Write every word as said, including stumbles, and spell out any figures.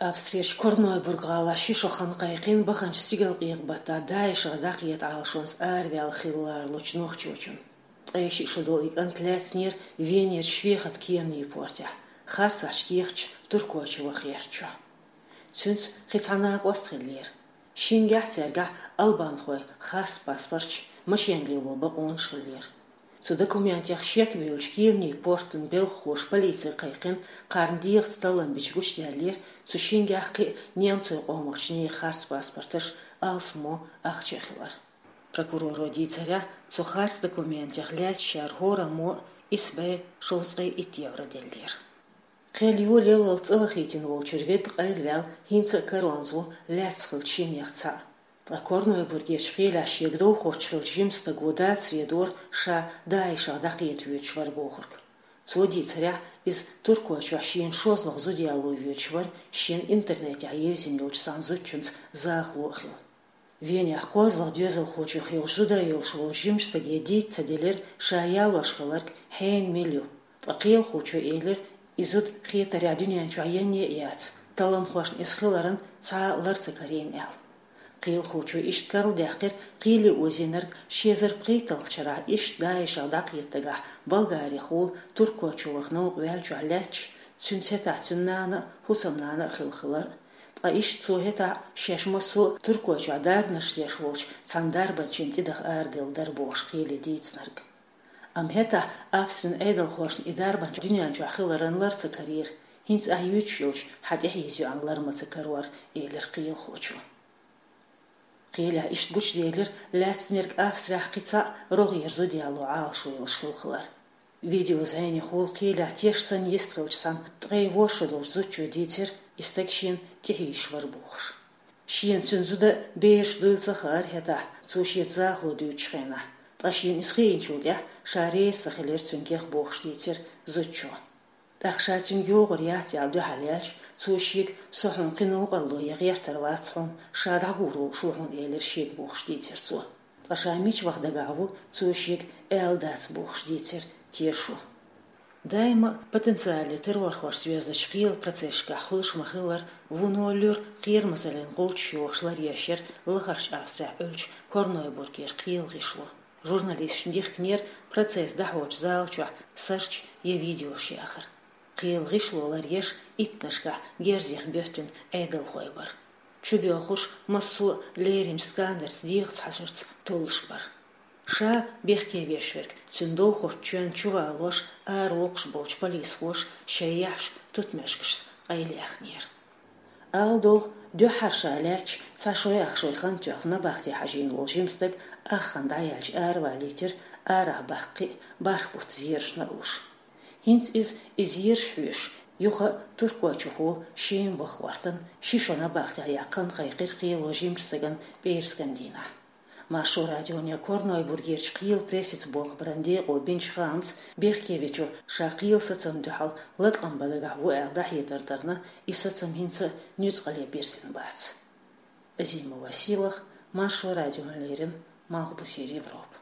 Австрерчу Корнойбург-гӀалахь ши шо хан кхайкхина баханчу стигалкъекъа-баттахь ДАИШах дӀакхета Ӏалашонца араваьлла хилла ларалучу нохчочун. Ткъе шиъ шо долу и кӀант лаьцнера Венерчу Вехат кеманийн портехь, харцахьчу кехатчу Туркойчу ваха гӀертачохь. Цуьнца кхин цхьа накъост хиллера. Шингахь цаьргахь албанхойн харц паспорташ, машен лело бакъонаш хиллера. Цу документех шек бевллачу кеманийн портан белхалоша полице кхайкхина, кхарна дегӀаца таллам бича гучудаьллера цу шингахь кхин а немцойн къомах чу нехан харц паспорташ, алсамо ахча а хилар. Прокуроро дийцарехь, цу харц документех лаьцначара хӀораммо исс бӀе шовзткъе итт евро деллера. Кхел йолалалц цӀа вахийтина волчуьра ведда къайлаваьлла хӀинца а каронца ву лаьцна хиллачу шиннех цхьаъ. Ткъа Корнойбургерчу кхелехь шега довхочух хиллачу жимачу стага дацаре дора ша ДАИШах дӀакхета воьдуш вара бохург. Цо дийцарехь, иза Туркойчохь шена шозлагӀа зуда яло воьдуш вара, шена интернетехь евзина йолчу цхьана зудчуьнца захало а хилла. Венехь кхозлагӀа доьзалхочух йолуш зуда йолуш волчу жимачу стаге дийца ца делира ша ялош хилларг хьенан мила ю. Ткъа кхелахочо элира, и зуда хетарехь дуьнен чохь янне а яц, талламхошна иза хиларан цхьа а лар ца карийна аьлла. Кхелахочо иштта карладаьккхира кхеле озийнарг ши эзар пхийтталгӀачу шарахь иштта ДАИШах дӀакхета дагахь Болгарехула Туркойчу ваха новкъа ваьллачохь лаьтташ, цуьнца хӀетахь цуьнан нана а, хӀусамнана а хилла хилар а. Ткъа иштта цо хӀетахь шаьш массо а Туркойчохь дарбанаш деш волчу цхьана дарбанчина тӀедаха араделла дара бохуш кхеле дийцинарг. Амма хӀетахь Австрин Ӏедалхошна и дарбанча дуьнен чохь хиларан лар ца карийра, хӀинца ахь юьйцуш йолчу хьан тӀехьийза йоӀан лар ма ца карора, элира кхелахочо. Кхелехь иштта гучуделира лаьцнарг Австрехь кхин цхьаъ рогӀера зуда яло Ӏалашо йолуш хилла хилар. Видео зӀенехула кхелехь теш санна йистхиллачу цхьана ткъе ворхӀ шо долчу зудчо дийцира, и стаг шена тӀехьийзаш вара бохуш. Шена цуьнан зуда, бераш дуйла ца хаьара хӀетахь, цо шеца захало дуьйцучу хенахь, ткъа шена иза хиъначул тӀаьхьа ша реза ца хилира цуьнгахь бохуш дийцира зудчо. ТӀаккха ша цуьнга йогӀур яц аьлла дуьхьал яьлча, цо шега: «Со хьуна кхин новкъарло ян гӀертар вац хьуна, ша дӀагӀур волуш ву хьуна», — элира шега бохуш дийцира цо. Ткъа ша мича ваха дагахь ву, цо шега аьлла дац бохуш дийцира тешо. Даима а потенциале террорхошца йоьзначу кхелан процессашкахь хуьлуш ма-хиллара, вуно луьра кхерамазаллин гӀулчаш йохуш ларъеш яра лахарчу Австрехь Ӏуьллучу Корнойбургера кхелан гӀишло. Журналисташна дихкинера процесс дӀахьочу зала чохь сарч я видеош яхар. Кхелан гӀишло ларъеш иттанашкахь герзех боьттина Ӏедалхой бара. Чубоьлхуш массо а леринчу сканерца дегӀаца хьажарца толлуш бара. Ша бехке веш верг, цуьнан довхочу чоьнна чувалош, аравоккхуш болчу полисхоша шайн яхьаш тутмешкашца къайлаяьхнера. Ала догӀу, дуьххьара ша лаьтташ цхьа шой ах шой хан тоьхна набахте хьажийна волу жима стаг ах хан дӀаяьлча аравалийтира, арахь баккхий а, бархӀ бутт зерашна а луш. ХӀинца иза, и зераш хьоьшуш, юха а Туркойчухула шен ваха гӀортан, ши шо набахтехь яккха хан кхайкхира кхело жимачу стагана пӀераскан дийнахь. Маршо радионе Корнойбургерчу кхелан прессица болх баран декъо бинчу хаамца, бехке вечо ша кхелан сацамна дуьхьал латкъам бан дагахь ву аьлла дӀахьедар дарна, и сацам хӀинца а нуьцкъале бирзина бац. Азимова Сийлаха, Маршо радиона леррина, Малхбузера Европа.